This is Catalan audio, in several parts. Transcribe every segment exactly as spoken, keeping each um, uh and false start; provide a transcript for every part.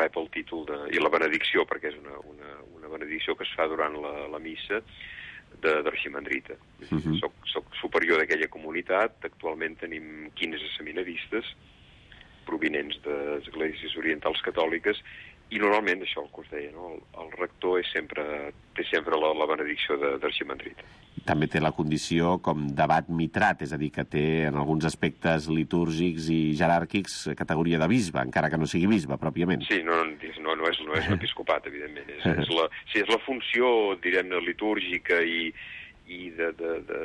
rep el títol de, i la benedicció, perquè és una, una, una benedicció que es fa durant la, la missa d'arximandrita. Uh-huh. Soc, soc superior d'aquella comunitat. Actualment tenim quinze seminaristes provinents d'esglésies orientals catòliques, i normalment, això el que us deia, no? el, el rector és sempre, té sempre la, la benedicció d'arximandrita. També té la condició com d'abat mitrat, és a dir, que té en alguns aspectes litúrgics i jeràrquics categoria de bisbe, encara que no sigui bisbe, pròpiament. Sí, no, no, no és, no és l'episcopat, evidentment. És, és la, sí, és la funció, direm-ne, litúrgica i, i de, de, de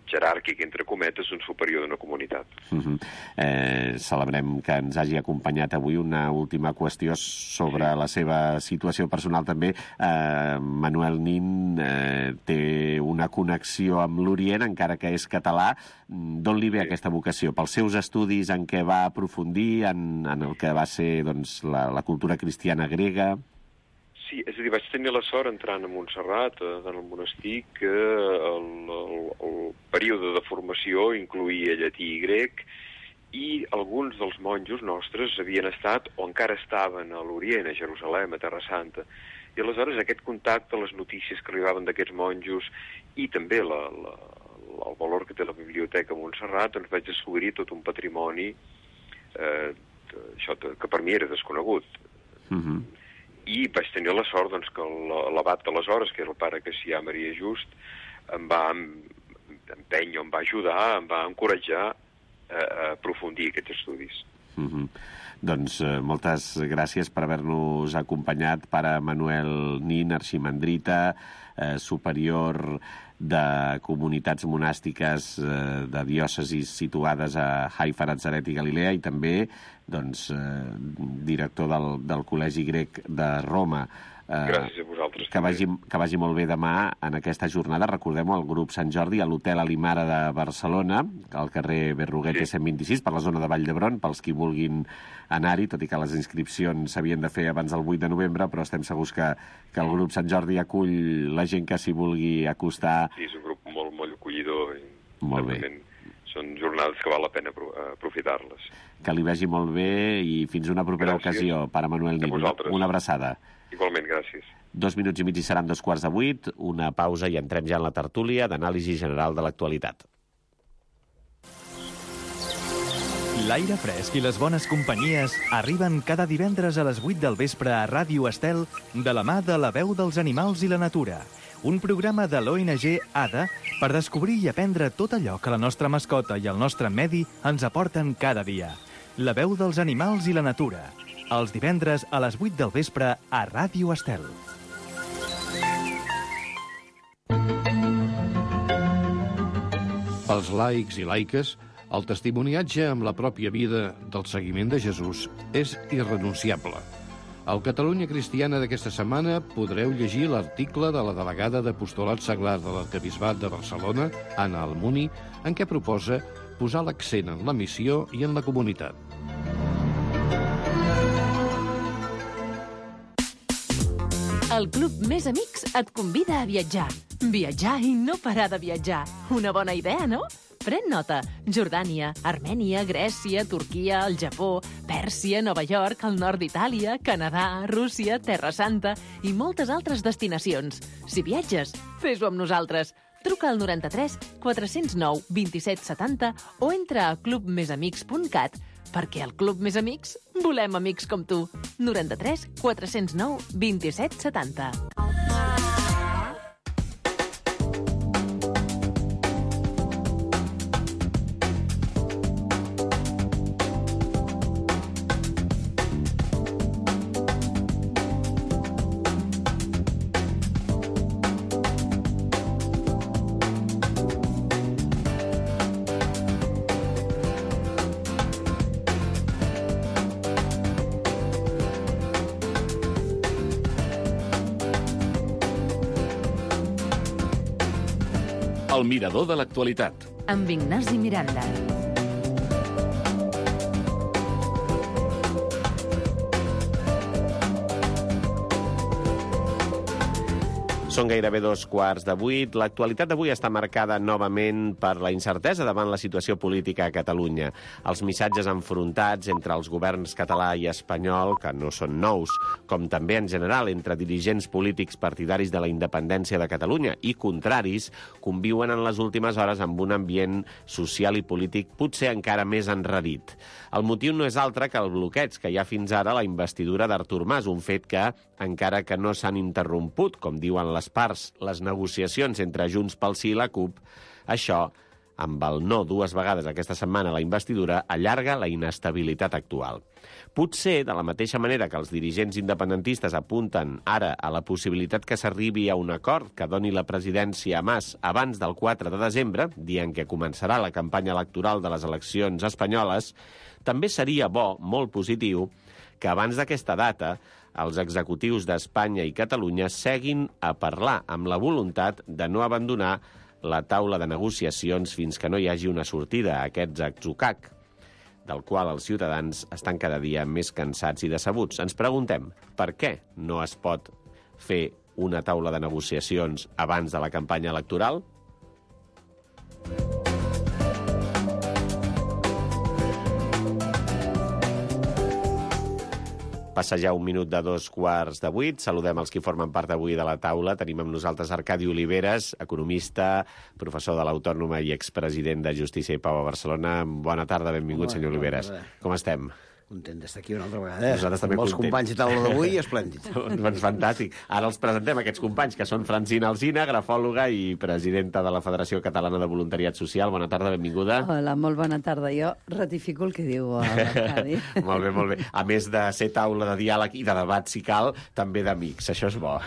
jeràrquic, entre cometes, un superior d'una comunitat. Uh-huh. eh, celebrem que ens hagi acompanyat avui. Una última qüestió sobre sí. la seva situació personal també. Eh, Manuel Nin eh, té una connexió amb l'Orient, encara que és català. D'on li ve sí. aquesta vocació? Pels seus estudis en què va aprofundir, en, en el que va ser doncs, la, la cultura cristiana grega? Sí, és a dir, vaig tenir la sort entrant a Montserrat, en el monestir, que el, el, el període de formació incloïa llatí i grec, i alguns dels monjos nostres havien estat o encara estaven a l'Orient, a Jerusalem, a Terra Santa. I aleshores aquest contacte, les notícies que arribaven d'aquests monjos i també la, la, el valor que té la biblioteca a Montserrat, doncs vaig descobrir tot un patrimoni eh, això, que per mi era desconegut. Mhm. I vaig tenir la sort doncs, que l'abat d'aleshores, que era el pare Cassià Maria Just, em va empènyer, em va ajudar, em va encoratjar a, a aprofundir aquests estudis. Mm-hmm. Doncs eh, moltes gràcies per haver-nos acompanyat, pare Manuel Nin, arximandrita, eh, superior de comunitats monàstiques eh, de diòcesis situades a Haifa, Natzaret i Galilea, i també doncs, eh, director del, del Col·legi Grec de Roma. Eh, Gràcies a vosaltres. Que vagi, que vagi molt bé demà en aquesta jornada. Recordem-ho, el grup Sant Jordi a l'Hotel Alimara de Barcelona, al carrer Berruguete sí. cent vint-i-sis, per la zona de Vall d'Hebron, pels qui vulguin anar-hi, tot i que les inscripcions s'havien de fer abans del vuit de novembre, però estem segurs que, que el grup Sant Jordi acull la gent que s'hi vulgui acostar. Sí, és un grup molt, molt acollidor. I molt bé. Són jornades que val la pena aprofitar-les. Que li vagi molt bé i fins una propera gràcies. Ocasió, pare Manuel Nin. Una abraçada. Igualment, gràcies. Dos minuts i mig i seran dos quarts de vuit, una pausa i entrem ja en la tertúlia d'anàlisi general de l'actualitat. L'aire fresc i les bones companyies arriben cada divendres a les vuit del vespre a Ràdio Estel de la mà de La Veu dels Animals i la Natura, un programa de l'O N G A D A per descobrir i aprendre tot allò que la nostra mascota i el nostre medi ens aporten cada dia. La Veu dels Animals i la Natura, els divendres a les vuit del vespre a Ràdio Estel. Pels laics i laiques, el testimoniatge amb la pròpia vida del seguiment de Jesús és irrenunciable. Al Catalunya Cristiana d'aquesta setmana podreu llegir l'article de la delegada d'Apostolat Seglar de l'Arquebisbat de Barcelona, Anna Almuni, en què proposa posar l'accent en la missió i en la comunitat. El Club Més Amics et convida a viatjar. Viatjar i no parar de viatjar. Una bona idea, no? Pren nota. Jordània, Armènia, Grècia, Turquia, el Japó, Pèrsia, Nova York, el nord d'Itàlia, Canadà, Rússia, Terra Santa i moltes altres destinacions. Si viatges, fes-ho amb nosaltres. Truca al noranta-tres quatre cents nou vint-i-set setanta o entra a club més amics punt cat perquè al Club Més Amics volem amics com tu. noranta-tres quatre cents nou vint-i-set setanta. El mirador de l'actualitat. Amb Ignasi Miranda. Són gairebé dos quarts de vuit. L'actualitat d'avui està marcada novament per la incertesa davant la situació política a Catalunya. Els missatges enfrontats entre els governs català i espanyol, que no són nous, com també en general entre dirigents polítics partidaris de la independència de Catalunya i contraris, conviuen en les últimes hores amb un ambient social i polític potser encara més enrarit. El motiu no és altre que el bloqueig que hi ha fins ara a la investidura d'Artur Mas, un fet que, encara que no s'han interromput, com diuen les parts, les negociacions entre Junts pel Sí i la CUP, això, amb el no dues vegades aquesta setmana a la investidura, allarga la inestabilitat actual. Potser, de la mateixa manera que els dirigents independentistes apunten ara a la possibilitat que s'arribi a un acord que doni la presidència a Mas abans del quatre de desembre, dient que començarà la campanya electoral de les eleccions espanyoles, també seria bo, molt positiu, que abans d'aquesta data els executius d'Espanya i Catalunya seguin a parlar amb la voluntat de no abandonar la taula de negociacions fins que no hi hagi una sortida a aquests atzucac, del qual els ciutadans estan cada dia més cansats i decebuts. Ens preguntem per què no es pot fer una taula de negociacions abans de la campanya electoral? Passa ja un minut de dos quarts de vuit. Saludem els que formen part avui de la taula. Tenim amb nosaltres Arcadi Oliveres, economista, professor de l'Autònoma i expresident de Justícia i Pau a Barcelona. Bona tarda, benvingut, Hola, senyor Oliveres. Com estem? Content d'estar aquí una altra vegada. Nosaltres també amb els content. companys de taula d'avui, esplèndid. Doncs fantàstic. Ara els presentem, aquests companys, que són Francina Alsina, grafòloga i presidenta de la Federació Catalana de Voluntariat Social. Bona tarda, benvinguda. Hola, molt bona tarda. Jo ratifico el que diu l'Arcadi. Molt bé, molt bé. A més de ser taula de diàleg i de debat, si cal, també d'amics. Això és bo,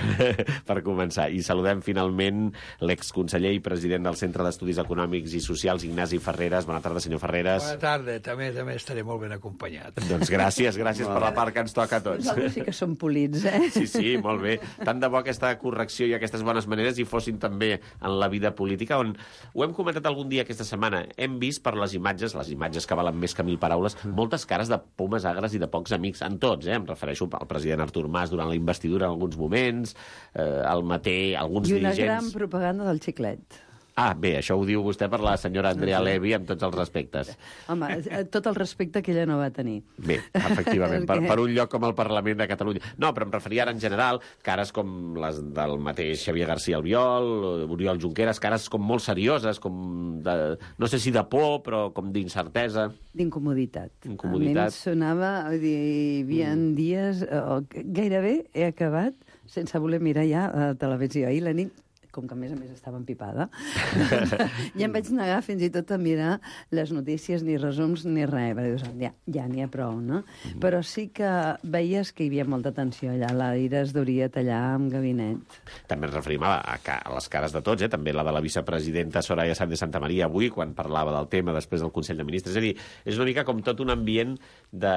per començar. I saludem finalment l'exconseller i president del Centre d'Estudis Econòmics i Socials, Ignasi Ferreres. Bona tarda, senyor Ferreres. Bona tarda. També també estaré molt ben acompanyat. Doncs gràcies, gràcies per la part que ens toca a tots. Nosaltres sí que som polits, eh? Sí, sí, molt bé. Tant de bo aquesta correcció i aquestes bones maneres hi fossin també en la vida política, on ho hem comentat algun dia aquesta setmana. Hem vist per les imatges, les imatges que valen més que mil paraules, moltes cares de pomes agres i de pocs amics, en tots, eh? Em refereixo al president Artur Mas durant la investidura en alguns moments, eh, el Maté, alguns I una dirigents... gran propaganda del xiclet. Ah, bé, això ho diu vostè per la senyora Andrea Levy amb tots els respectes. Home, tot el respecte que ella no va tenir. Bé, efectivament, per, per un lloc com el Parlament de Catalunya. No, però em referia ara en general, cares com les del mateix Xavier García Albiol, Oriol Junqueras, cares com molt serioses, com de, no sé si de por, però com d'incertesa. D'incomoditat. Incomoditat. A mi em sonava, vull dir, hi havia mm. dies, oh, gairebé he acabat sense voler mirar ja a televisió. Ahir la nit, com que a més a més estava empipada, ja em vaig negar fins i tot a mirar les notícies, ni resums, ni res, perquè dius, ja, ja n'hi ha prou, no? Mm. Però sí que veies que hi havia molta tensió allà, l'aire es duria tallar amb gabinet. També ens referim a, a, a les cares de tots, eh? També la de la vicepresidenta Soraya Sáenz de Santamaría avui, quan parlava del tema després del Consell de Ministres. És a dir, és una mica com tot un ambient de...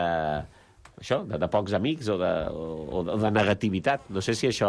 això, de, de pocs amics o de, o de negativitat. No sé si això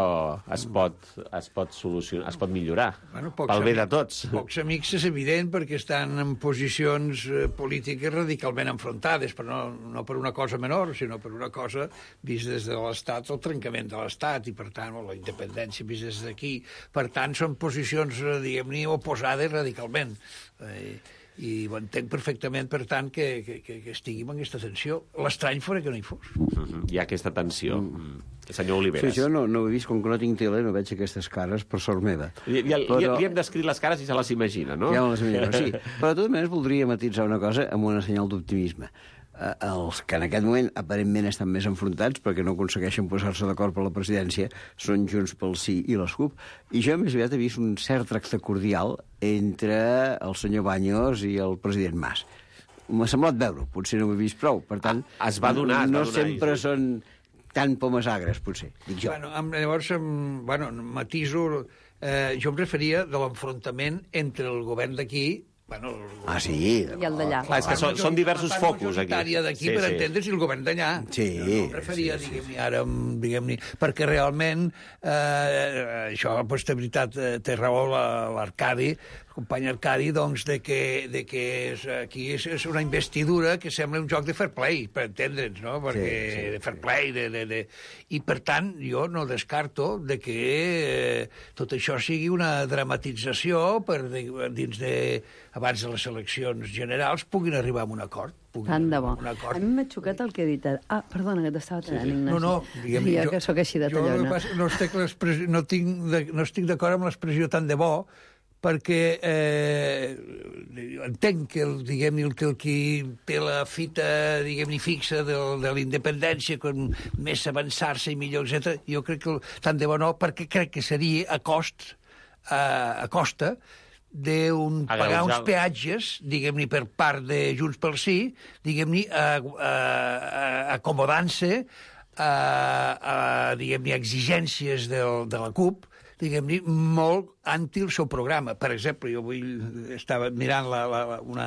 es pot, es pot solucionar, es pot millorar, bueno, pel bé de tots. Pocs amics és evident perquè estan en posicions polítiques radicalment enfrontades, però no, no per una cosa menor, sinó per una cosa vist des de l'Estat, el trencament de l'Estat, i per tant, o la independència vist des d'aquí. Per tant, són posicions, diguem-ne, oposades radicalment. Eh, i ho entenc perfectament, per tant, que, que, que estiguem en aquesta tensió. L'estrany fora que no hi fos. Mm-hmm. Hi ha aquesta tensió. Mm. Senyor Oliveres. Sí, jo no, no ho he vist, com que no tinc tele, no veig aquestes cares per sort meva. Li, li, però... li, li hem descrit les cares i se les imagina, no? Ja me les imagino, sí. Però de totes maneres voldria matitzar una cosa amb una senyal d'optimisme. Eh, els que en aquest moment aparentment estan més enfrontats perquè no aconsegueixen posar-se d'acord per la presidència són Junts pel Sí i les CUP, i jo més aviat he vist un cert tracte cordial entre el senyor Baños i el president Mas. M'ha semblat veure, potser no ho he vist prou, per tant, es va donar, es no va donar, sempre sí. són tan pomes agres, potser, dic jo. Bueno, llavors, bueno, matiso, eh, jo em referia de l'enfrontament entre el govern d'aquí, bueno, ah, sí? I el d'allà. Clar, és que són, són diversos focus, aquí. La part d'aquí, sí, per sí. entendre's, i el govern d'allà. Sí. Jo no em referia, sí, sí, diguem-ne, ara, diguem-ne, perquè realment, eh, això, pues, de veritat, té raó l'Arcadi, company Arcadi, doncs, de que, de que és, aquí és, és una investidura que sembla un joc de fair play, per entendre'ns, no? Perquè, sí, sí, de fair play, de, de, de... I, per tant, jo no descarto de que eh, tot això sigui una dramatització per de, dins de... abans de les eleccions generals puguin arribar a un acord. Tant de bo. A mi m'ha xocat el que he dit. Ah, perdona, que t'estava tallant, sí, sí. Ignasi. No, no. Diguem, jo, jo que sóc així de tallona. Jo no estic, no, tinc de, no estic d'acord amb l'expressió tant de bo, perquè eh, entenc que, el, diguem, el, que el qui té la fita, diguem-ne, fixa de, de la independència, com més avançar-se i millor, etcètera, jo crec que el, tant de bo no, perquè crec que seria a cost, a, a costa, d'un pagar uns peatges, diguem-ne, per part de Junts pel Sí, diguem-ne, acomodant-se a, a, diguem-ne, exigències del, de la CUP, diguem-ne, molt anti el seu programa. Per exemple, jo avui estava mirant la, la, una,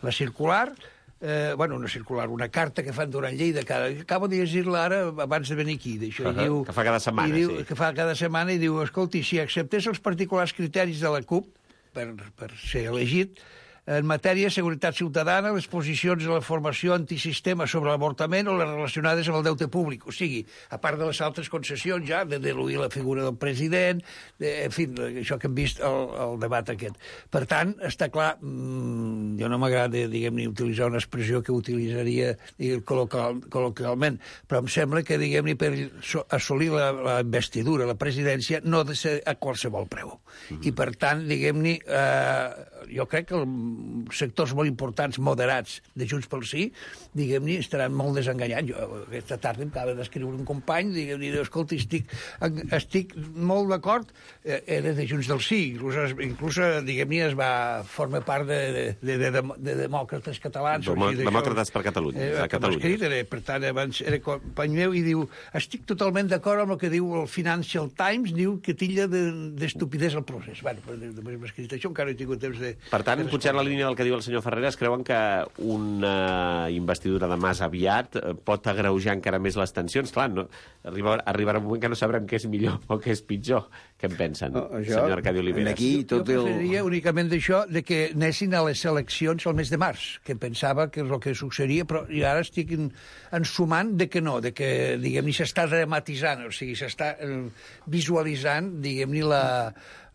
la circular, eh, bueno, una circular, una carta que fan durant Lleida, cada, acabo de llegir-la ara abans de venir aquí. D'això, uh -huh, diu, que fa cada setmana, diu, sí. Que fa cada setmana i diu, escolti, si acceptés els particulars criteris de la CUP, per, per ser elegit, en matèria de seguretat ciutadana, les posicions de la formació antisistema sobre l'avortament o les relacionades amb el deute públic. O sigui, a part de les altres concessions ja, de diluir la figura del president, de, en fi, això que hem vist el, el debat aquest. Per tant, està clar, mmm, jo no m'agrada, diguem-ne, utilitzar una expressió que utilitzaria col·loquial, col·loquialment, però em sembla que, diguem-ne, per assolir la, la investidura, la presidència, no ha de ser a qualsevol preu. Mm-hmm. I, per tant, diguem-ne, eh, jo crec que el sectors molt importants, moderats, de Junts pel Sí, diguem-ne, estaran molt desenganyats. Jo aquesta tarda em acaba d'escriure un company, diguem-ne, escolta, estic, estic molt d'acord, eh, era de Junts del Sí, inclús, inclús diguem-ne, es va formar part de, de, de, de, de demòcrates catalans. Demo, demòcrates per Catalunya. Eh, a Catalunya. Escrit, era, per tant, abans era company meu, i diu, estic totalment d'acord amb el que diu el Financial Times, diu que tilla d'estupidesa el procés. Bueno, després m'ha escrit això, encara no he tingut temps de... Per tant, de potser la línia del que diu el senyor Ferreras, creuen que una investidura de Mas aviat pot agreujar encara més les tensions? Clar, no, arriba, arribarà un moment que no sabrem què és millor o què és pitjor. Què en pensen, no, això, senyor Arcadi Oliveras? Aquí, tot jo preferiria el... únicament d'això, de que anessin a les eleccions al mes de març, que pensava que és el que succeiria, però i ara estic ensumant de que no, de que, diguem-ne, s'està dramatitzant, o sigui, s'està visualitzant, diguem-ne, la...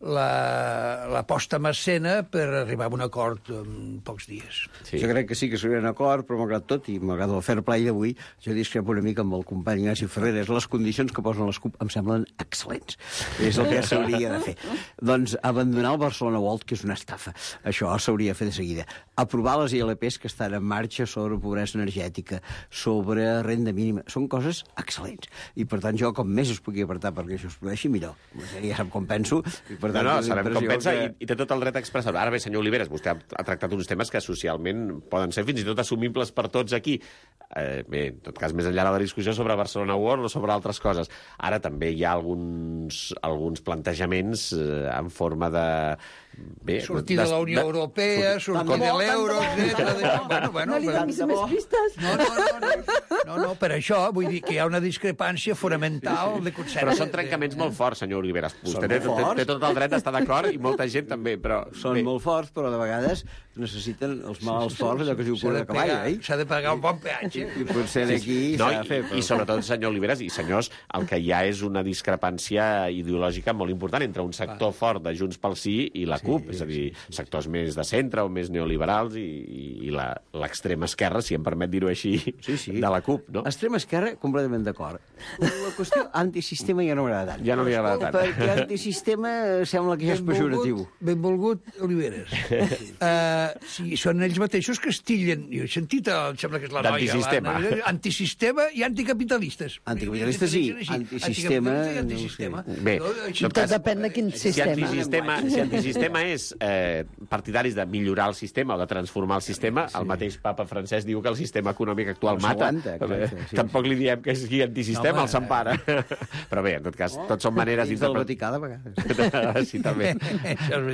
la, la posta en escena per arribar a un acord en pocs dies. Sí. Jo crec que sí que seria un acord, però malgrat tot, i malgrat el fair play d'avui, jo discrepo una mica amb el company Ignasi Ferreras. Les condicions que posen les CUP em semblen excel·lents. És el que s'hauria de fer. Doncs abandonar el Barcelona World, que és una estafa. Això s'hauria de fer de seguida. Aprovar les I L Ps que estan en marxa sobre pobresa energètica, sobre renda mínima. Són coses excel·lents. I, per tant, jo, com més es pugui apartar perquè això es produeixi, millor. Ja sap com penso. I, per tant, no, no, sabem com pensa que... i, i té tot el dret a expressar-ho. Ara bé, senyor Oliveras, vostè ha, ha tractat uns temes que socialment poden ser fins i tot assumibles per tots aquí. Eh, bé, en tot cas, més enllà de la discussió sobre Barcelona World o sobre altres coses. Ara també hi ha alguns, alguns plantejaments eh, en forma de... Bé, sortir de, de la Unió de, Europea, sortir de l'euro, etcètera. Bueno, bueno, no li donis més pistes. No, no, no, no, no, no, per això vull dir que hi ha una discrepància fonamental de concepte. Però són trencaments molt forts, senyor Oliveras. Vostè té, té, té tot el dret d'estar d'acord i molta gent també, però... Són bé. molt forts, però de vegades necessiten els malalts forts, allò que es diu cura de cavall, eh? S'ha de pagar un bon peatge. I potser aquí no, s'ha de fer. Però... I sobretot, senyor Oliveras, i senyors, el que hi ha és una discrepància ideològica molt important entre un sector fort de Junts pel Sí i la CUP, és a dir, sectors més de centre o més neoliberals i, i l'extrema esquerra, si em permet dir-ho així, sí, sí. de la CUP, no? Extrema esquerra, completament d'acord. La qüestió antisistema ja no m'agrada tant. Ja no li agrada tant. Perquè antisistema sembla que ja és pejoratiu. Benvolgut, Oliveras. uh, si són ells mateixos que estillen, jo he sentit, em sembla que és la noia... Antisistema. La, antisistema i anticapitalistes. Anticapitalistes sí, antisistema... antisistema. No sé. Bé, tot cas, depèn de quin sistema. Si antisistema, si antisistema és eh, partidaris de millorar el sistema o de transformar el sistema, sí. El mateix papa francès diu que el sistema econòmic actual no mata. Exacte, sí. Tampoc li diem que sigui antisistema, no, el s'empara. Però bé, en tot cas, tots són maneres d'interpretar. Vaticà, de vegades. Sí, també.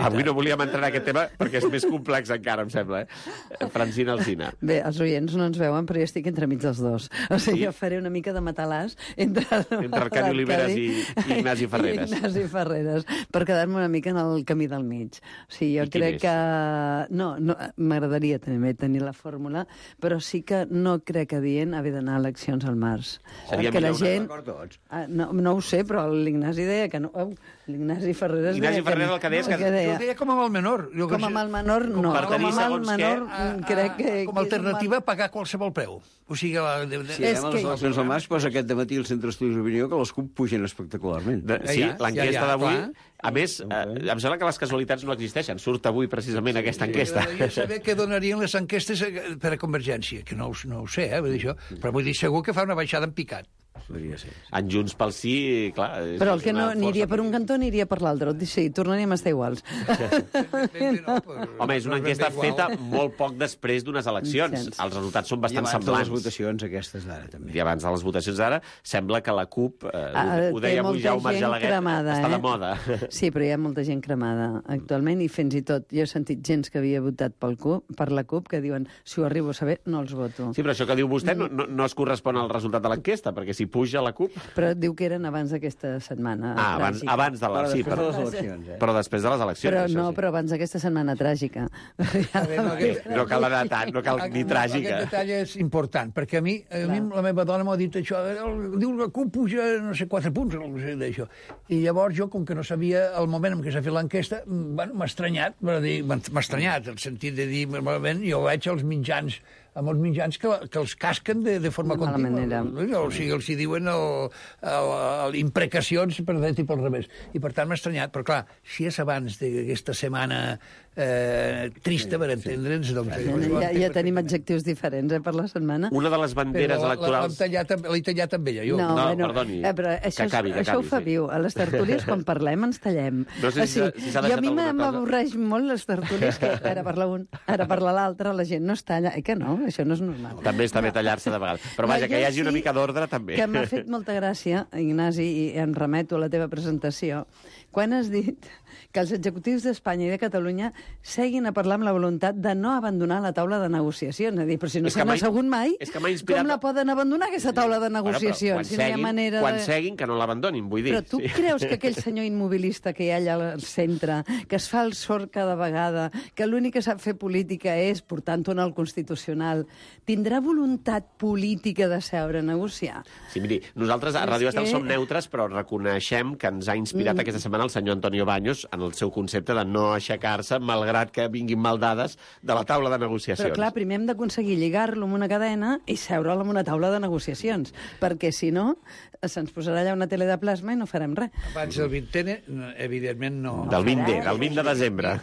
Avui no volíem entrar en aquest tema perquè és més complex encara, em sembla. Eh? Francina Alsina. Bé, els oients no ens veuen, però jo estic entremig dels dos. O sigui, sí? Jo faré una mica de matalàs entre... Entre Arcadi Oliveras i, i Ignasi Ferreras. I Ignasi Ferreras, per quedar-me una mica en el camí del mig. mig. O sigui, jo I quin crec és? que... No, no m'agradaria també tenir la fórmula, però sí que no crec adient haver d'anar a eleccions al març. Seria Perquè la millor una gent... d'acord tots. Ah, no, no ho sé, però l'Ignasi deia que no... Oh, l'Ignasi Ferreres Ignasi deia Ferreres que... el que deia és que- el Jo deia. ho deia com amb el menor. Jo que Com amb sé- el menor, no. per Com tenir amb el segons menor, què, mm, crec que... Com que a és un alternativa, pagar qualsevol preu. O sigui, la, de, de, Si És anem a que- les eleccions al març, doncs aquest dematí el Centre d'Estudis d'Opinió que les CUP pugen espectacularment. De, sí, Ja, ja, l'enquesta ja, ja, d'avui... clar. A més, eh, em sembla que les casualitats no existeixen. Surt avui precisament aquesta enquesta. M'agradaria saber què donarien les enquestes eh, per a Convergència, que no, ho- no ho sé, eh, vull dir això, però vull dir, segur que fa una baixada en picat. Podria ser. En Junts pel Sí, clar... és Però el que una no aniria força per un cantó aniria per l'altre. Sí, tornaríem a estar iguals. Ben bé, no, però- Home, és una no ben bé enquesta igual. feta molt poc després d'unes eleccions. Cents. Els resultats són I bastant abans de les semblants. votacions aquestes d'ara, també. I abans de les votacions d'ara, sembla que la CUP, eh, Ah, ho, ho té deia avui molta Jaume gent Argelaguet, cremada, està eh? de moda. Sí, però hi ha molta gent cremada actualment i fins i tot jo he sentit gent que havia votat pel CUP, per la CUP que diuen si ho arribo a saber no els voto. Sí, però això que diu vostè no, no, no es correspon al resultat de l'enquesta, perquè si puja la CUP... Però diu que eren abans d'aquesta setmana Ah, abans, tràgica. abans de la... Però Sí, després però, de les eleccions, eh? però després de les eleccions. Però això no, sí. però abans d'aquesta setmana tràgica. A veure, no, aquest- No cal anar tant, no cal ni Aquest- tràgica. Aquest detall és important, perquè a mi, a mi la meva dona m'ha dit això, el- diu la CUP puja no sé, quatre punts, o no sé d'això. I llavors jo, com que no sabia el moment en què s'ha fet l'enquesta, bueno, m'ha estranyat, m'ha dir- m'ha estranyat, el sentit de dir, malament, jo veig els mitjans, amb els mitjans que, que els casquen de, de forma De mala contínua. manera. O sigui, els hi diuen el, el, el, imprecacions per dret i pel revés. I per tant m'ha estranyat, però clar, si és abans d'aquesta setmana eh, trista, per entendre'ns, doncs... Ja, ja tenim adjectius diferents eh, per la setmana. Una de les banderes Però la- la- electorals... L'hem tallat, amb- l'he tallat amb ella, jo. No, bueno, perdoni, eh, però això, que acabi, que això acabi, ho fa sí. viu. A les tertúlies, quan parlem, ens tallem. No sé si s'ha- si s'ha i a deixat mi alguna cosa. m'avorreix molt les tertúlies, que ara parla un, ara parla l'altre, la gent no es talla. Eh que no? Això no és normal. També està bé tallar-se de vegades. Però vaja, que hi hagi una mica d'ordre, també. Que m'ha fet molta gràcia, Ignasi, i em remeto a la teva presentació, quan has dit que els executius d'Espanya i de Catalunya seguin a parlar amb la voluntat de no abandonar la taula de negociacions. És a dir, però si no És que s'han m'ha- assegut mai, és que m'ha inspirat- com la poden abandonar, aquesta taula de Bueno, però negociacions? quan si no hi ha seguin, manera quan de... seguin, que no l'abandonin, vull dir. Però tu sí. creus que aquell senyor immobilista que hi ha allà al centre, que es fa el sord cada vegada, que l'únic que sap fer política és portant-ho en el Constitucional, tindrà voluntat política de seure a negociar? Sí, miri, nosaltres a És Ràdio Estel que- som neutres, però reconeixem que ens ha inspirat Mm. aquesta setmana el senyor Antonio Baños en el seu concepte de no aixecar-se, malgrat que vinguin mal dades, de la taula de negociacions. Però clar, primer hem d'aconseguir lligar-lo amb una cadena i seure'l amb una taula de negociacions, perquè si no se'ns posarà allà una tele de plasma i no farem res. Abans del vintene, evidentment no. Del vint D, del vint de desembre.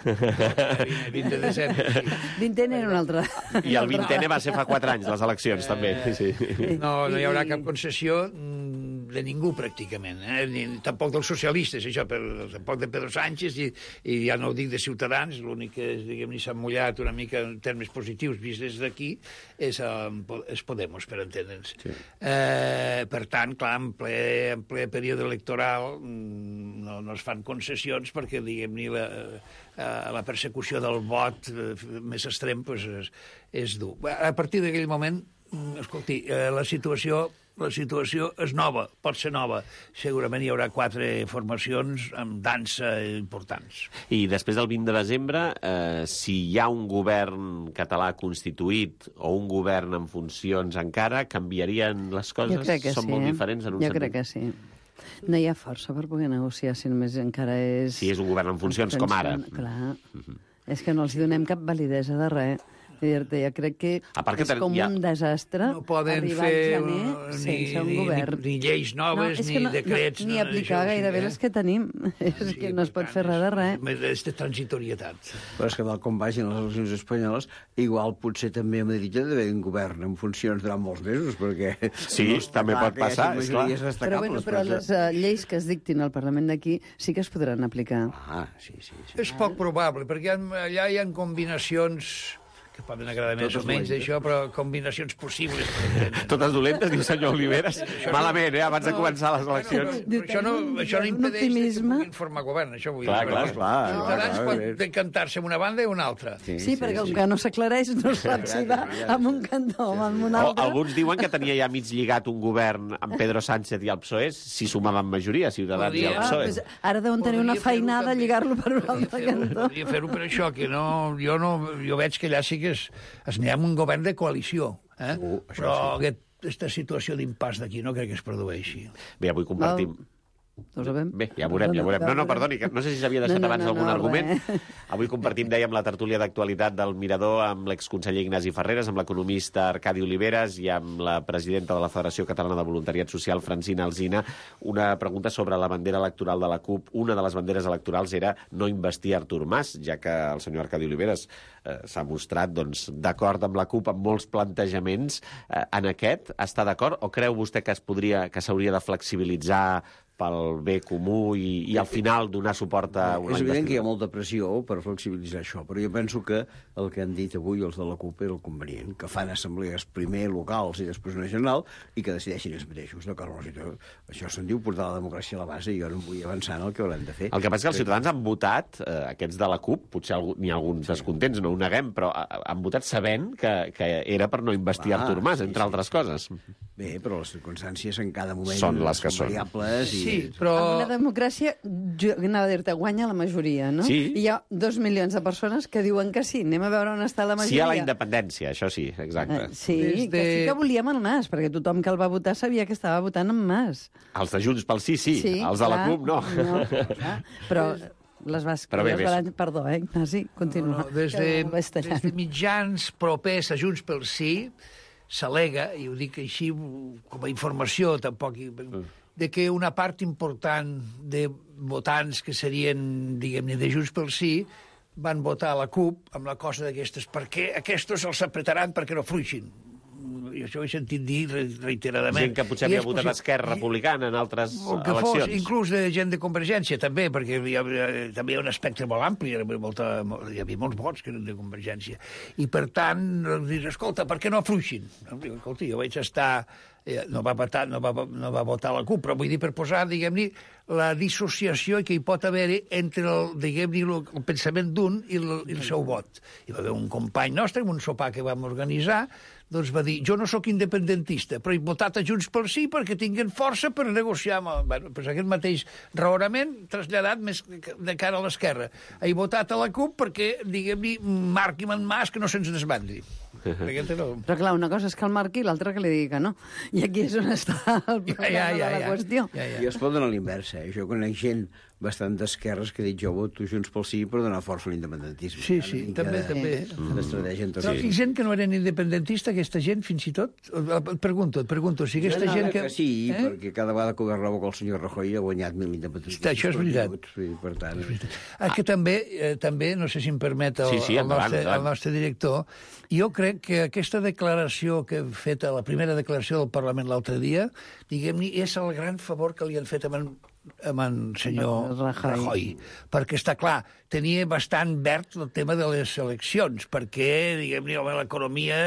vint de desembre, sí. Vintena era un altre. I el vintene va ser fa quatre anys, les eleccions, també. Sí. No, no hi haurà cap concessió mm, de ningú, pràcticament. Eh? Ni, tampoc dels socialistes, això, per, tampoc de Pedro Sánchez, i, i ja no ho dic de Ciutadans, l'únic que diguem-ne s'ha mullat una mica en termes positius vist des d'aquí és, eh, és Podemos, per entendre'ns. Sí. Eh, per tant, clar, en ple, en ple període electoral mm, no, no es fan concessions perquè, diguem-ne, la, eh, la persecució del vot eh, més extrem pues, és, és dur. A partir d'aquell moment, mm, escolti, eh, la situació la situació és nova, pot ser nova. Segurament hi haurà quatre formacions amb dansa importants. I després del vint de desembre, eh, si hi ha un govern català constituït o un govern en funcions encara, canviarien les coses? Jo crec que Són sí. molt eh? diferents en un jo sentit? crec que sí. No hi ha força per poder negociar, si només encara és... Si és un govern en funcions, com ara. Clar. És que no els donem cap validesa de res. Dir-te, jo crec que A part que és ten- com ja- un desastre No poden arribar fer al gener uh, ni, sense un ni, govern. ni, ni lleis noves, és ni que no, decrets... No, ni no, aplicar això, gairebé sí, eh? les que tenim. És que no es pot fer res de res. És de transitorietat. Però és que tal com vagin les eleccions espanyoles, igual potser també a Madrid hi ha d'haver un govern en funcions durant molts mesos, perquè... Sí, està també clar pot que hi hagi passar, és majories clar. Però, bueno, però les uh, lleis que es dictin al Parlament d'aquí sí que es podran aplicar. Ah, sí, sí. sí. És poc probable, perquè hi ha, allà hi ha combinacions que poden agradar més o menys d'això, però combinacions possibles. Totes dolentes, diu senyor Oliveres. Malament, eh, abans de començar les eleccions. Però això no, això no impedeix que puguin formar govern, això vull dir. Clar, clar, clar. Ciutadans pot decantar-se en una banda i una altra. Sí, sí, perquè com que no s'aclareix, no sap si va amb un cantó o amb un altre. Alguns diuen que tenia ja mig lligat un govern amb Pedro Sánchez i el P S O E si sumaven majoria, Ciutadans i el P S O E. Ah, ara deuen tenir una feinada a lligar-lo per un altre cantó. Podria fer-ho per això, que no, jo, no, jo veig que allà sí que es, es n'hi ha un govern de coalició, eh? Uh, però sí. aquest, aquesta situació d'impàs d'aquí no crec que es produeixi. Bé, avui compartim... No. No ho sabem. Bé, ja veurem, ja veurem. No, no, perdoni, que no sé si s'havia deixat no, no, abans no, algun no, argument. Res. Avui compartim, dèiem, la tertúlia d'actualitat del Mirador amb l'exconseller Ignasi Ferreres, amb l'economista Arcadi Oliveres i amb la presidenta de la Federació Catalana de Voluntariat Social, Francina Alsina, una pregunta sobre la bandera electoral de la CUP. Una de les banderes electorals era no investir Artur Mas, ja que el senyor Arcadi Oliveres eh, s'ha mostrat doncs, d'acord amb la CUP en molts plantejaments. Eh, en aquest està d'acord o creu vostè que es podria, que s'hauria de flexibilitzar pel bé comú i, i al final donar suport a una investidura? És evident que hi ha investidura? molta pressió per flexibilitzar això, però jo penso que el que han dit avui els de la CUP era el convenient, que fan assemblees primer locals i després una general i que decideixin ells mateixos. D'acord, això se'n diu portar la democràcia a la base i jo no em vull avançar en el que haurem de fer. El que passa és que els ciutadans han votat, eh, aquests de la CUP, potser n'hi ha alguns descontents, no ho neguem, però han votat sabent que, que era per no investir ah, Artur Mas, entre sí, altres sí. coses. Bé, però les circumstàncies en cada moment són les que són variables i... Sí, però... En una democràcia, jo anava a dir-te, guanya la majoria, no? Sí. I hi ha dos milions de persones que diuen que sí. Anem a veure on està la majoria. Sí a la independència, això sí, exacte. Eh, sí, Des de... que sí que volíem el Mas, perquè tothom que el va votar sabia que estava votant en Mas. Els de Junts pel sí, sí, sí els de la CUP no. no clar. Però... Les vas... Però bé, les balances... Perdó, eh, Ignasi? Continua. No, no, des, de, des de mitjans propers a Junts pel Sí s'al·lega, i ho dic així com a informació, tampoc, de que una part important de votants que serien, diguem-ne, de Junts pel Sí van votar a la CUP amb la cosa d'aquestes, perquè aquests els apretaran perquè no fluixin. I això ho he sentit dir reiteradament. Gent que potser havia votat Esquerra Republicana en altres que eleccions. Fos, inclús de gent de Convergència, també, perquè hi havia, també hi ha un espectre molt ampli, hi havia, molta, hi havia molts vots que eren de Convergència. I, per tant, dir, escolta, per què no afluixin? Escolta, jo vaig estar... No va, votar, no, va, no va votar la CUP, però vull dir per posar, diguem-ne, la dissociació que hi pot haver entre el, diguem-ne, el, el pensament d'un i, el, i el seu vot. Hi va haver un company nostre, en un sopar que vam organitzar, doncs va dir, jo no sóc independentista, però he votat a Junts pel Sí perquè tinguen força per negociar amb el... Bueno, doncs aquest mateix raonament traslladat més de cara a l'esquerra. He votat a la CUP perquè, diguem-ne, marqui en Mas que no se'ns desbandi. Però clar, una cosa és que el marqui i l'altra que li digui que no. I aquí és on està el problema ja, ja, ja, de la qüestió. Ja, ja. I es pot donar a l'inversa. Eh? Jo conec gent bastant d'esquerres que ha dit jo voto Junts pel Sí per donar força a l'independentisme. Sí, sí, també, de, també. L'estratègia en tot. Però hi gent que no eren independentista, aquesta gent, fins i tot? Et pregunto, et pregunto, si aquesta no, gent que... que... Sí, eh? perquè cada vegada que governava el senyor Rajoy ha guanyat mil independentistes. Això és veritat. Sí, per tant... Ah, que també, eh, també, no sé si em permet el, sí, sí, el, nostre, el nostre director, jo crec que aquesta declaració que hem fet, la primera declaració del Parlament l'altre dia, diguem-ne, és el gran favor que li han fet amb en amb en senyor Rajoy. Rajoy, perquè està clar, tenia bastant verd el tema de les eleccions, perquè, diguem-ne, l'economia,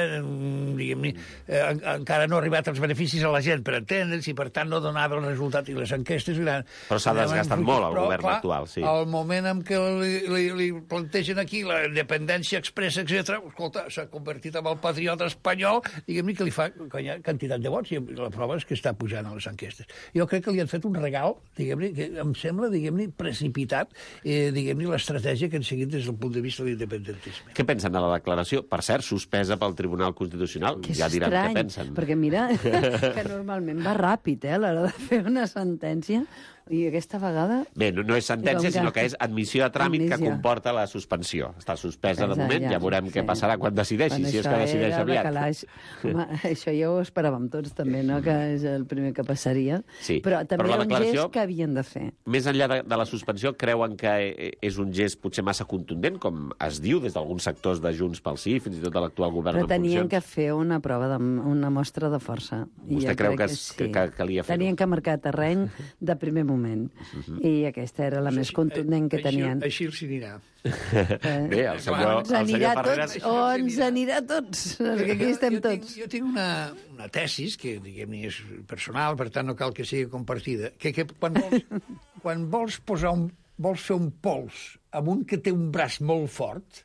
diguem-ne, eh, encara no ha arribat els beneficis a la gent per entendre'ls i, per tant, no donava el resultat i les enquestes... Eren, però s'ha desgastat molt el però, govern clar, actual, sí. Al moment en què li, li, li plantegen aquí la independència expressa, etcètera, escolta, s'ha convertit en el patriota espanyol, diguem-ne, que li fa quantitat de vots i la prova és que està pujant a les enquestes. Jo crec que li han fet un regal, diguem que em sembla, diguem-ne, precipitat, eh, diguem-ne, l'estratègia que han seguit des del punt de vista de l'independentisme. Què pensen de la declaració? Per cert, suspesa pel Tribunal Constitucional. Que és ja diran estrany, què pensen. perquè mira que normalment va ràpid, eh, a l'hora de fer una sentència, i aquesta vegada... Bé, no, no és sentència, sinó que és admissió a tràmit admissió. Que comporta la suspensió. Està suspesa de moment, ja, ja veurem ja, què passarà quan decideixi, quan si és que decideix aviat. Calaix. Home, això ja ho esperàvem tots també, no?, que és el primer que passaria. Sí, però també però era un gest que havien de fer. Més enllà de, de la suspensió, creuen que és un gest potser massa contundent, com es diu des d'alguns sectors de Junts pel Sí, fins i tot de l'actual govern però en funcions? Però tenien que fer una prova, de, una mostra de força. Vostè creu que, que, sí. que calia fer-ho? Tenien que marcar terreny de primer moment. moment. Uh-huh. I aquesta era la més contundent que tenien. Així els anirà. Bé, el senyor, o ens anirà a tots, o ens anirà a tots, perquè aquí estem jo, jo tots. Tinc, jo tinc una, una tesis, que diguem-ne és personal, per tant no cal que sigui compartida, que, que quan, vols, quan vols posar un, vols fer un pols amb un que té un braç molt fort,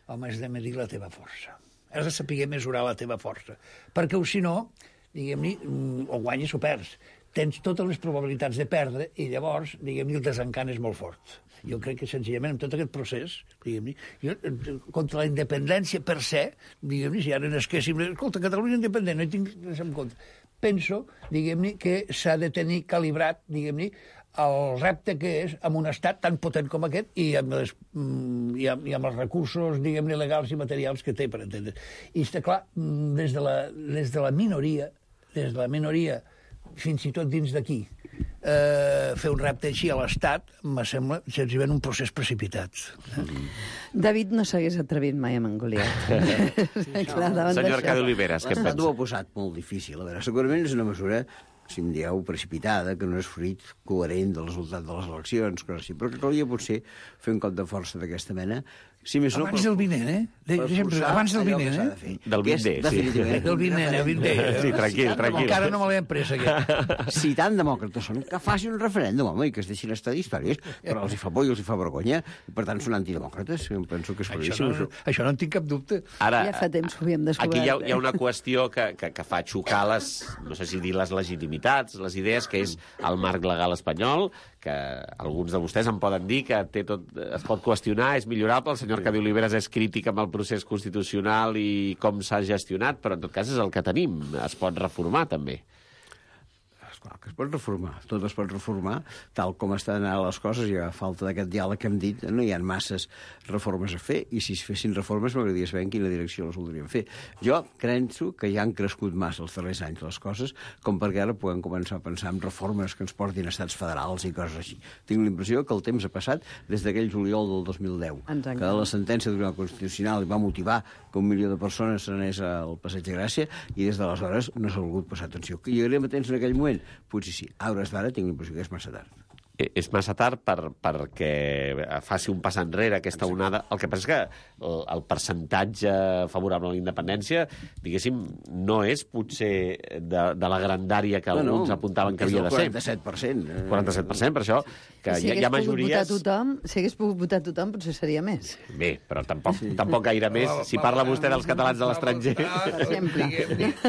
home, has de medir la teva força. Has de saber mesurar la teva força. Perquè, si no, diguem-ne, o guanyes o perds. Tens totes les probabilitats de perdre i llavors, diguem-ne, el desencant és molt fort. Jo crec que, senzillament, en tot aquest procés, diguem-ne, jo, contra la independència per se, diguem-ne, si ara n'esquéssim... Escolta, Catalunya independent, no hi tinc res en compte. Penso, diguem-ne, que s'ha de tenir calibrat, diguem-ne, el repte que és amb un estat tan potent com aquest i amb, les, i amb, i amb els recursos, diguem-ne, legals i materials que té, per entendre. I està clar, des de la, des de la minoria, des de la minoria, fins i tot dins d'aquí, eh, fer un repte així a l'Estat, me sembla, senzillament, un procés precipitat. Eh? David no s'hagués atrevit mai amb en Goliat. Sí, clar, senyor Arcadi Oliveres, què en pensa? L'Estat ho ha posat molt difícil. A veure, segurament és una mesura, si em dieu, precipitada, que no és fruit coherent del resultat de les eleccions, coses així, però que calia potser fer un cop de força d'aquesta mena. Si més no, abans del vinent, eh? De, sempre, abans del vinent, eh? Del vinent, sí. Del vinent, el vinent. Sí, tranquil, tranquil. Encara no me l'he emprès, aquest. Si tan demòcrates són, que faci un referèndum, home, i que es deixin estar d'històries, però els hi fa por i els hi fa vergonya, i per tant són antidemòcrates. Em penso que és claríssim. Això, no, això no en tinc cap dubte. Ara, ja fa temps que ho havíem descobert. Aquí hi ha, hi ha una qüestió que, que, que fa xocar les, no sé si dir les legitimitats, les idees, que és el marc legal espanyol, que alguns de vostès em poden dir que té tot, es pot qüestionar, és millorable. El senyor Arcadi Oliveres és crític amb el procés constitucional i com s'ha gestionat, però en tot cas és el que tenim. Es pot reformar, també. Esclar, que es pot reformar. Tot es pot reformar, tal com estan ara les coses, i a falta d'aquest diàleg que hem dit, no hi ha masses reformes a fer, i si es fessin reformes m'agradaria saber en quina direcció les voldríem fer. Jo penso que ja han crescut massa els darrers anys les coses, com perquè ara puguem començar a pensar en reformes que ens portin a estats federals i coses així. Tinc la impressió que el temps ha passat des d'aquell juliol del dos mil deu, que la sentència del Tribunal Constitucional va motivar que un milió de persones s'anés al Passeig de Gràcia, i des d'aleshores no s'ha volgut passar atenció. I érem atents en aquell moment? Potser sí. A hores d'ara tinc la impressió que és massa tard. És massa tard per, perquè faci un pas enrere aquesta onada. El que passa és que el, el percentatge favorable a la independència, diguéssim, no és potser de, de la grandària que no, alguns no, apuntaven que havia de ser. quaranta-set per cent. quaranta-set per cent, per això que si hi, hi ha majories... Tothom, si hagués pogut votar tothom, potser seria més. Bé, però tampoc, sí. tampoc gaire més. Si parla vostè dels catalans de l'estranger... Sempre.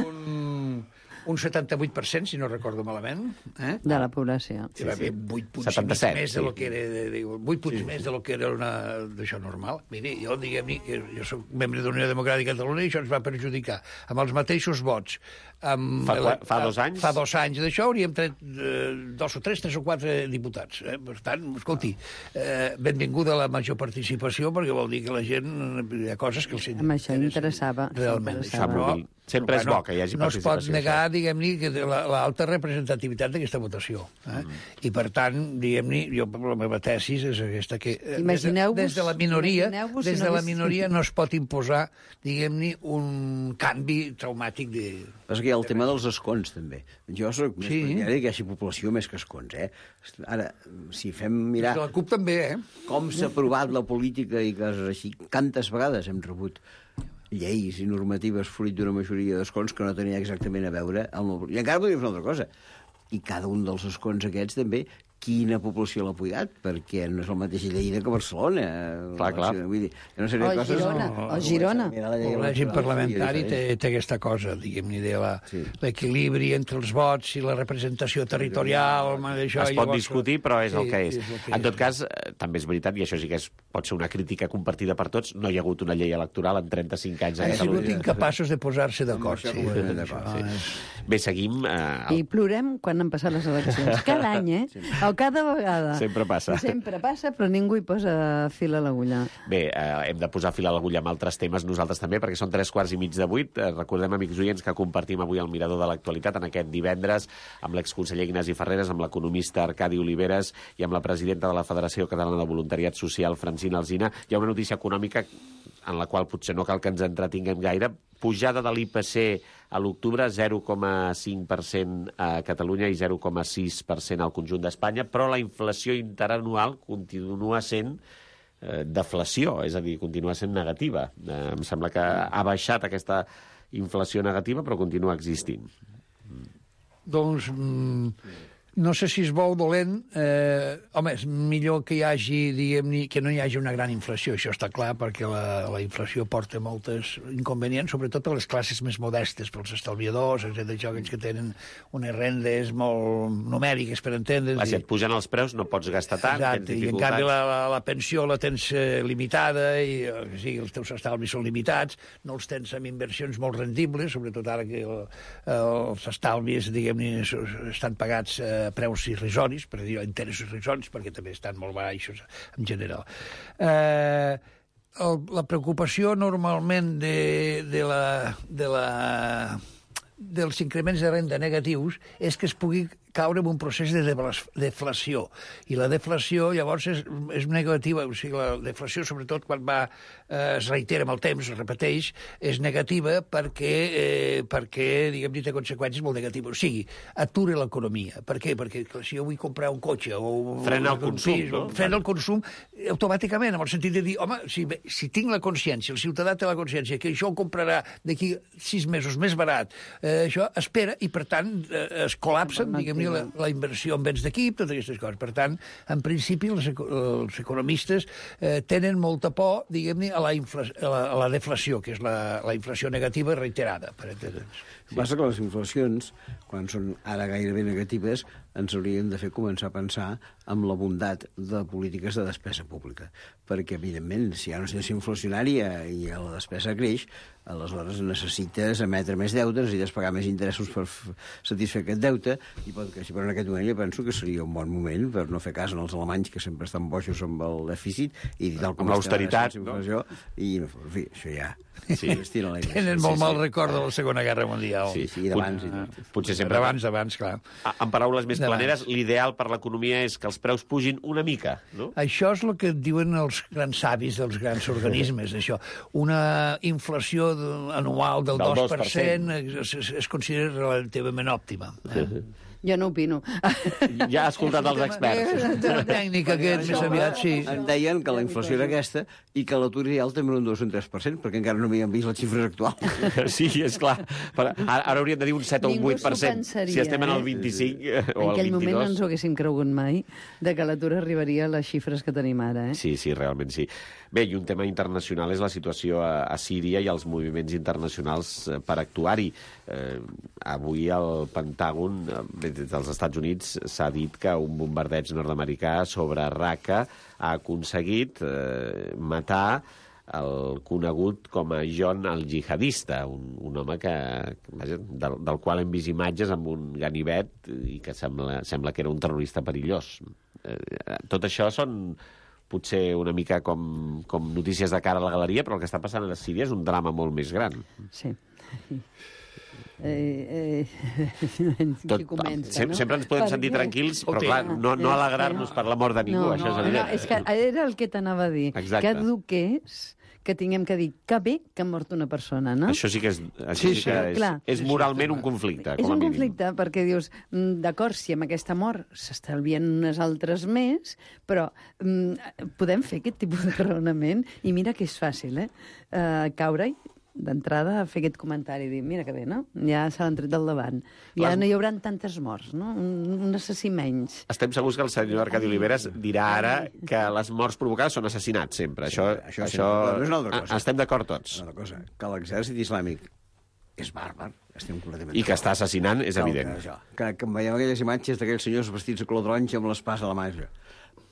Un... un setanta-vuit per cent, si no recordo malament. Eh? De la població. Sí, sí. vuit punts setanta-set, més sí. de lo que era, de, de, vuit punts sí. més de lo que era una, d'això normal. Miri, jo, diguem-ne, que jo soc membre de la Unió Democràtica de Catalunya i això ens va perjudicar. Amb els mateixos vots. Amb fa, la, fa dos anys? Fa dos anys d'això hauríem tret eh, dos o tres, tres o quatre diputats. Eh? Per tant, escolti, eh, benvinguda a la major participació, perquè vol dir que la gent, hi ha coses que els amb això interessava. Realment. Interessava. Però, sempre és bo que hi hagi no participació. No es pot negar, diguem-ne, que l'alta representativitat d'aquesta votació. Eh? Mm. I, per tant, diguem-ne, jo, la meva tesis és aquesta, que des de, des de la minoria, des de la minoria no es pot imposar, diguem-ne, un canvi traumàtic de... Però hi ha el tema dels escons, també. Jo soc més sí. partidari que hi hagi població més que escons, eh? Ara, si fem mirar... La CUP també, eh? Com s'ha aprovat la política i coses així, quantes vegades hem rebut lleis i normatives fruit d'una majoria d'escons que no tenia exactament a veure amb el... I encara podria fer una altra cosa. I cada un dels escons aquests també, quina població l'ha apoyat, perquè no és el mateix Lleida que Barcelona. Clar, clar. Vull dir, no seria o coses... Girona, no, o Girona. El règim parlamentari té, té aquesta cosa, diguem-ne, de l'equilibri sí. entre els vots i la representació territorial. Això, es pot llavors... discutir, però és sí, el que és. és el que en tot és. cas, també és veritat, i això sí que és, pot ser una crítica compartida per tots, no hi ha hagut una llei electoral en trenta-cinc anys a Han Catalunya. sigut incapaços de posar-se d'acord. Sí, sí. Bé, seguim... Eh, I plorem quan han passat les eleccions. Cada any, eh? Sí. O cada vegada. Sempre passa. I sempre passa, però ningú hi posa fil a l'agulla. Bé, eh, hem de posar fil a l'agulla amb altres temes nosaltres també, perquè són tres quarts i mig de vuit. Eh, recordem, amics oients, que compartim avui el Mirador de l'Actualitat en aquest divendres amb l'exconseller Ignasi Ferreres, amb l'economista Arcadi Oliveres i amb la presidenta de la Federació Catalana de Voluntariat Social, Francina Alsina. Hi ha una notícia econòmica en la qual potser no cal que ens entretinguem gaire, pujada de l'I P C a l'octubre, zero coma cinc per cent a Catalunya i zero coma sis per cent al conjunt d'Espanya, però la inflació interanual continua sent eh, deflació, és a dir, continua sent negativa. Eh, em sembla que ha baixat aquesta inflació negativa, però continua existint. Doncs... Mm, no sé si és bo o dolent. Eh, home, és millor que hi hagi, diguem-ne, que no hi hagi una gran inflació, això està clar, perquè la, la inflació porta moltes inconvenients, sobretot a les classes més modestes, pels estalviadors, etcètera, aquells que tenen unes rendes molt numèriques, per entendre's. Si et pugen els preus no pots gastar tant, exacte, tens i en canvi la, la, la pensió la tens eh, limitada, i o sigui, els teus estalvis són limitats, no els tens amb inversions molt rendibles, sobretot ara que el, els estalvis, diguem-ne, estan pagats eh, preus irrisoris, per dir interessos irrisoris, perquè també estan molt baixos en general. Eh, el, la preocupació normalment de, de la, de la, dels increments de renda negatius és que es pugui caure en un procés de deflació. I la deflació, llavors, és, és negativa. O sigui, la deflació, sobretot quan va, eh, es reitera amb el temps, es repeteix, és negativa perquè, eh, perquè diguem-ne, té conseqüències molt negatives. O sigui, atura l'economia. Per què? Perquè si jo vull comprar un cotxe o... Frena el consum, pis, no? Frena el consum automàticament, amb el sentit de dir, home, si, si tinc la consciència, el ciutadà té la consciència que això ho comprarà d'aquí sis mesos més barat, eh, això espera i, per tant, eh, es col·lapsen, diguem-ne, la, la inversió en béns d'equip, totes aquestes coses. Per tant, en principi, els, els economistes eh, tenen molta por, diguem-ne, a, la a, la, a la deflació, que és la, la inflació negativa reiterada, per entendre'ns. Sí. Passa que les inflacions, quan són ara gairebé negatives, ens haurien de fer començar a pensar en la bondat de polítiques de despesa pública. Perquè, evidentment, si hi ha una situació inflacionària i la despesa creix, aleshores necessites emetre més deute, necessites pagar més interessos per satisfer aquest deute, i pot que, si per en aquest moment jo penso que seria un bon moment per no fer cas en els alemanys, que sempre estan boixos amb el dèficit, i tal com amb l'austeritat, no? I, en fi, això ja... Sí. Tenen molt sí, mal sí. record de la Segona Guerra Mundial. Sí, sí, d'abans. Ah, potser sempre... D'abans, d'abans, clar. En paraules més planeres, l'ideal per l'economia és que els preus pugin una mica, no? Això és el que diuen els grans savis dels grans organismes, això. Una inflació anual del, del dos per cent es, es, es considera relativament òptima. Eh? Jo no opino. Ja has escoltat els experts. La tècnica aquest, més aviat, sí. Em deien que la inflació era aquesta i que l'atur real també era un dos o un tres per cent, perquè encara no havíem vist les xifres actuals. Sí, és clar. Però ara hauríem de dir un set o un vuit per cent. Si estem en el vint-i-cinc o el vint-i-dos. En aquell moment no ens ho haguéssim cregut mai de que l'atur arribaria a les xifres que tenim ara. Eh? Sí, sí, realment sí. Bé, i un tema internacional és la situació a, a Síria i els moviments internacionals per actuar-hi. Eh, avui el Pentàgon, eh, des dels Estats Units, s'ha dit que un bombardeig nord-americà sobre Raqqa ha aconseguit eh, matar el conegut com a John el Jihadista, un, un home que, vaja, del, del qual hem vist imatges amb un ganivet i que sembla, sembla que era un terrorista perillós. Eh, tot això són potser una mica com, com notícies de cara a la galeria, però el que està passant a Síria és un drama molt més gran. Sí. Eh, eh, Tot, comença, sem no? Sempre ens podem sentir tranquils, però clar, no, no alegrar-nos per la mort de ningú, no, això és no, evident. no, és que era el que t'anava a dir. Exacte. Que dur que és que tinguem que dir que bé que ha mort una persona, no? Això sí que és, això sí, sí que és, clar, és moralment un conflicte, és com a un mínim. conflicte perquè dius, d'acord, si amb aquesta mort s'estalvien unes altres més, però mm, podem fer aquest tipus de raonament i mira que és fàcil, eh? Uh, caure-hi d'entrada a fer aquest comentari i dir, mira que bé, no? Ja se l'han tret del davant. Ja Les... no hi haurà tantes morts, no? Un, un assassí menys. Estem segurs que el senyor Arcadi Oliveres dirà ara que les morts provocades són assassinats sempre. Sí, això, això, això... no és una altra cosa. Estem d'acord tots. Una altra cosa, que l'exèrcit islàmic és bàrbar, estem completament I que està assassinant, és no, evident. Que, això, que, que veiem aquelles imatges d'aquells senyors vestits de color taronja amb l'espasa a la mà.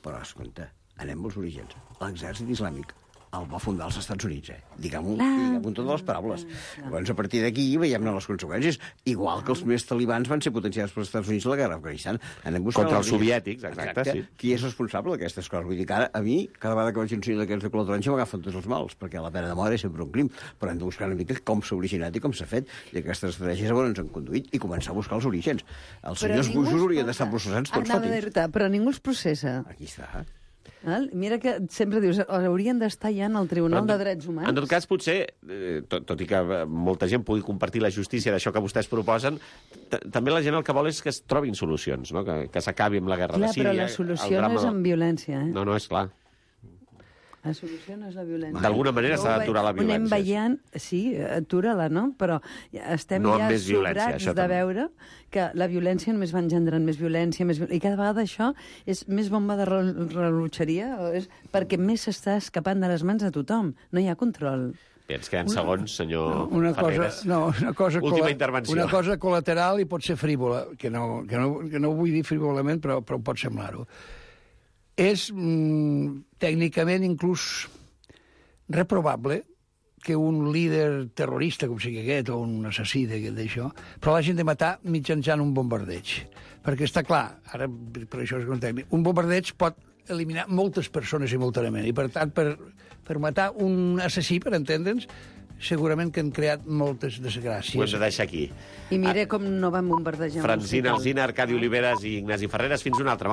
Però, escolta, anem als orígens. L'exèrcit islàmic el va fundar als Estats Units, eh? Diguem-ho diguem amb totes les paraules. Llavors, a partir d'aquí veiem les conseqüències. Igual que els primers talibans van ser potenciats pels Estats Units a la guerra d'Afganistan. Contra els soviètics, exacte, exacte, sí. Qui és responsable d'aquestes coses? Vull dir que ara, a mi, cada vegada que veig un senyor d'aquests de color taronja m'agafen tots els mals, perquè la pena de mort és sempre un crim. Però hem de buscar una mica com s'ha originat i com s'ha fet, i aquestes estratègies on ens han conduït, i començar a buscar els orígens. Els senyors bujos haurien d'estar processats tots fa temps. Però ningú els processa. Aquí està. Val? Mira que sempre dius, haurien d'estar ja en el Tribunal Però, de Drets Humans. En tot cas, potser, eh, tot, tot i que molta gent pugui compartir la justícia d'això que vostès proposen, també la gent el que vol és que es trobin solucions, no? que, que s'acabi amb la guerra Clar, de Síria. però la solució no és amb violència, eh? No, no, és clar. La solució no és la violència. D'alguna manera s'ha d'aturar la violència. Ho anem veient, sí, atura-la, no? Però estem no ja sobrats de també. veure que la violència només va engendrant més violència, més viol... i cada vegada això és més bomba de rellotgeria, és perquè més s'està escapant de les mans de tothom. No hi ha control. Bé, ens queden segons, senyor no, una Ferreres. cosa, no, una cosa Última intervenció. Una cosa col·lateral i pot ser frívola, que no, que no, que no ho vull dir frívolament, però, però pot semblar-ho. És mm, tècnicament inclús reprobable que un líder terrorista, com sigui aquest, o un assassí d'això, però l'hagin de matar mitjançant un bombardeig. Perquè està clar, ara per això és un tècnic, un bombardeig pot eliminar moltes persones simultàniament, i per tant, per, per matar un assassí, per entendre'ns, segurament que han creat moltes desgràcies. Ho hem de deixar aquí. I mira com no van bombardejar... Francina Alsina, Arcadi Oliveres i Ignasi Ferreres. Fins una altra.